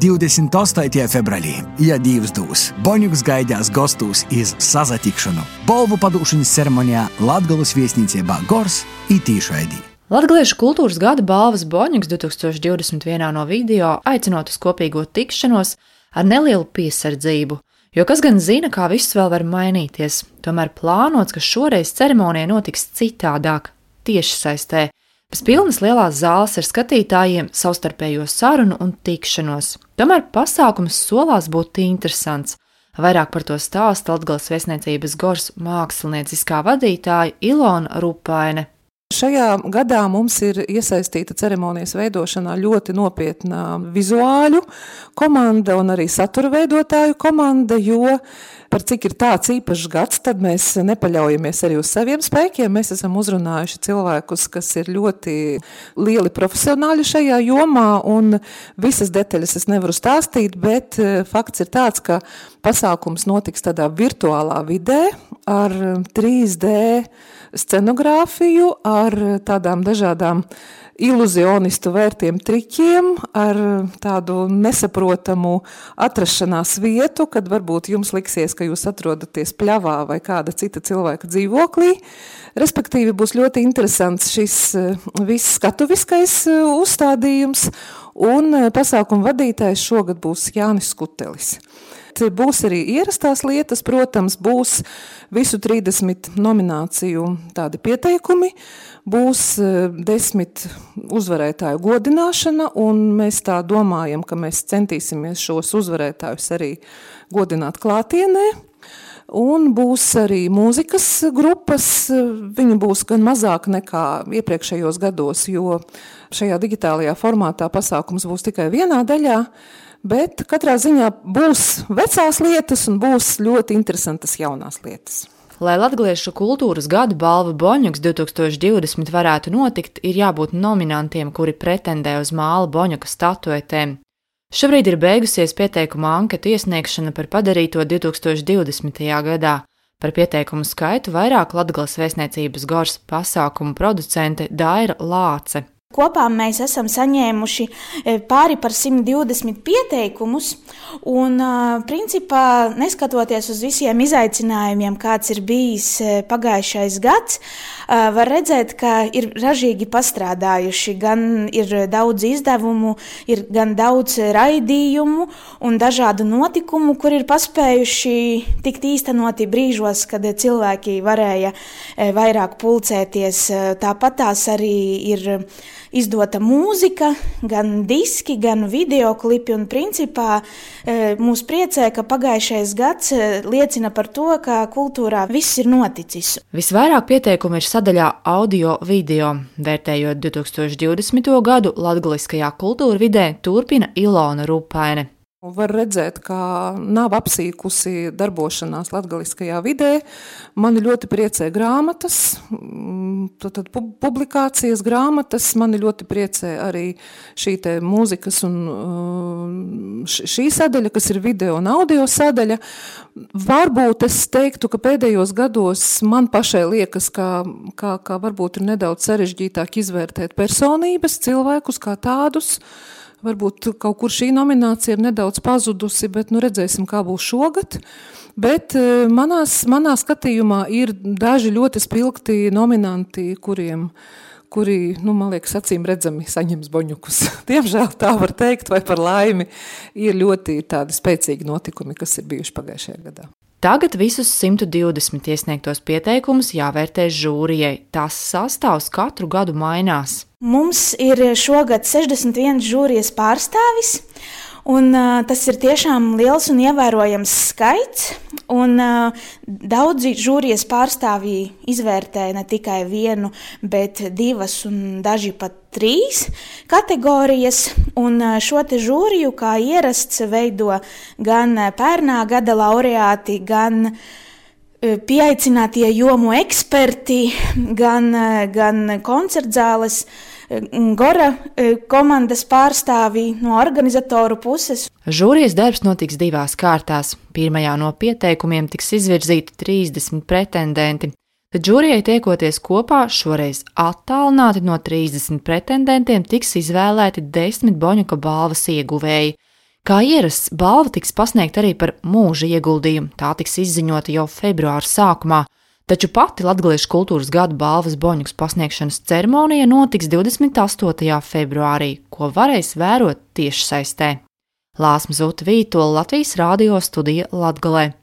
28. februārī, ja Dievs dūs, Boņuks gaidās gostūs iz sazatikšanu. Balvu padūšanas ceremonijā Latgales viesnīcībā Gors i tīšraidī. Latgaliešu kultūras gada balvas Boņuks 2021 no video aicinot uz kopīgo tikšanos ar nelielu piesardzību, jo kas gan zina, kā viss vēl var mainīties. Tomēr plānots, ka šoreiz ceremonija notiks citādāk, tiešsaistē. Bez pilnas lielās zāles ar skatītājiem, savstarpējo sarunu un tikšanos. Tomēr pasākums solās būt interesants. Vairāk par to stāsta Latgales viesniecības Gors mākslinieckā vadītāja Ilona Rupaine. Šajā gadā mums ir iesaistīta ceremonijas veidošanā ļoti nopietna vizuāļu komanda un arī satura veidotāju komanda, jo par cik ir tāds īpašs gads, tad mēs nepaļaujamies arī uz saviem spēkiem. Mēs esam uzrunājuši cilvēkus, kas ir ļoti lieli profesionāļi šajā jomā, un visas detaļas es nevaru stāstīt, bet fakts ir tāds, ka pasākums notiks tādā virtuālā vidē ar 3D scenogrāfiju, ar tādām dažādām iluzionistu vērtiem triķiem, ar tādu nesaprotamu atrašanās vietu, kad varbūt jums liksies, ka jūs atrodaties pļavā vai kāda cita cilvēka dzīvoklī. Respektīvi būs ļoti interesants šis viss skatuviskais uzstādījums, un pasākuma vadītājs šogad būs Jānis Skutelis. Būs arī ierastās lietas, protams, būs visu 30 nomināciju tādi pieteikumi, būs 10 uzvarētāju godināšana, un mēs tā domājam, ka mēs centīsimies šos uzvarētājus arī godināt klātienē. Un būs arī mūzikas grupas, viņi būs gan mazāk nekā iepriekšējos gados, jo šajā digitālajā formātā pasākums būs tikai vienā daļā, bet katrā ziņā būs vecās lietas un būs ļoti interesantas jaunās lietas. Lai Latgaliešu kultūras gada balva Boņuks 2020 varētu notikt, ir jābūt nominantiem, kuri pretendē uz māla Boņuka statuetēm. Šobrīd ir beigusies pieteikuma anketu iesniegšana par padarīto 2020. gadā. Par pieteikumu skaitu vairāk Latgales viesniecības Gors pasākumu producente Daira Lāce. Kopā mēs esam saņēmuši pāri par 120 pieteikumus, un principā, neskatoties uz visiem izaicinājumiem, kāds ir bijis pagājušais gads, var redzēt, ka ir ražīgi pastrādājuši. Gan ir daudz izdevumu, ir gan daudz raidījumu un dažādu notikumu, kur ir paspējuši tikt īstenoti brīžos, kad cilvēki varēja vairāk pulcēties. Tāpat tās arī ir izdota mūzika, gan diski, gan videoklipi, un principā mūs priecē, ka pagājušais gads liecina par to, ka kultūrā viss ir noticis. Visvairāk pieteikumu ir sadaļā audio-video. Vērtējot 2020. gadu latgaliskajā kultūra vidē, turpina Ilona Rupaine. Var redzēt, ka nav apsīkusi darbošanās latgaliskajā vidē. Mani ļoti priecē grāmatas, tad publikācijas grāmatas, mani ļoti priecē arī šī te mūzikas un šī sadaļa, kas ir video un audio sadaļa. Varbūt es teiktu, ka pēdējos gados man pašai liekas, ka varbūt ir nedaudz sarežģītāk izvērtēt personības, cilvēkus kā tādus. Varbūt kaut kur šī nominācija ir nedaudz pazudusi, bet redzēsim, kā būs šogad. Bet manā skatījumā ir daži ļoti spilgti nominanti, kuri, man liekas, acīm redzami saņems Boņukus. Diemžēl tā var teikt, vai par laimi ir ļoti tādi spēcīgi notikumi, kas ir bijuši pagājušajā gadā. Tagad visus 120 iesniegtos pieteikumus jāvērtē žūrijai. Tās sastāvs katru gadu mainās. Mums ir šogad 61 žūrijas pārstāvis, un tas ir tiešām liels un ievērojams skaits. Un daudzi žūrijas pārstāvji izvērtē ne tikai vienu, bet divas un daži pat 3 kategorijas. Un šo te žūriju kā ierasts veido gan pērnā gada laureāti, gan pieaicinātie jomu eksperti, gan koncertzāles Gora komandas pārstāvji no organizatoru puses. Žūrijas darbs notiks 2 kārtās. Pirmajā no pieteikumiem tiks izvirzīti 30 pretendenti. Tad žūrijai tiekoties kopā, šoreiz attālināti no 30 pretendentiem tiks izvēlēti 10 Boņuka balvas ieguvēji, Kā ierasts, balva tiks pasniegta arī par mūža ieguldījumu, tā tiks izziņota jau februāra sākumā, taču pati Latgaliešu kultūras gada balvas Boņuks pasniegšanas ceremonija notiks 28. februārī, ko varēs vērot tiešsaistē. Lāsma Zuta Vītola, Latvijas Rādio studija Latgalē.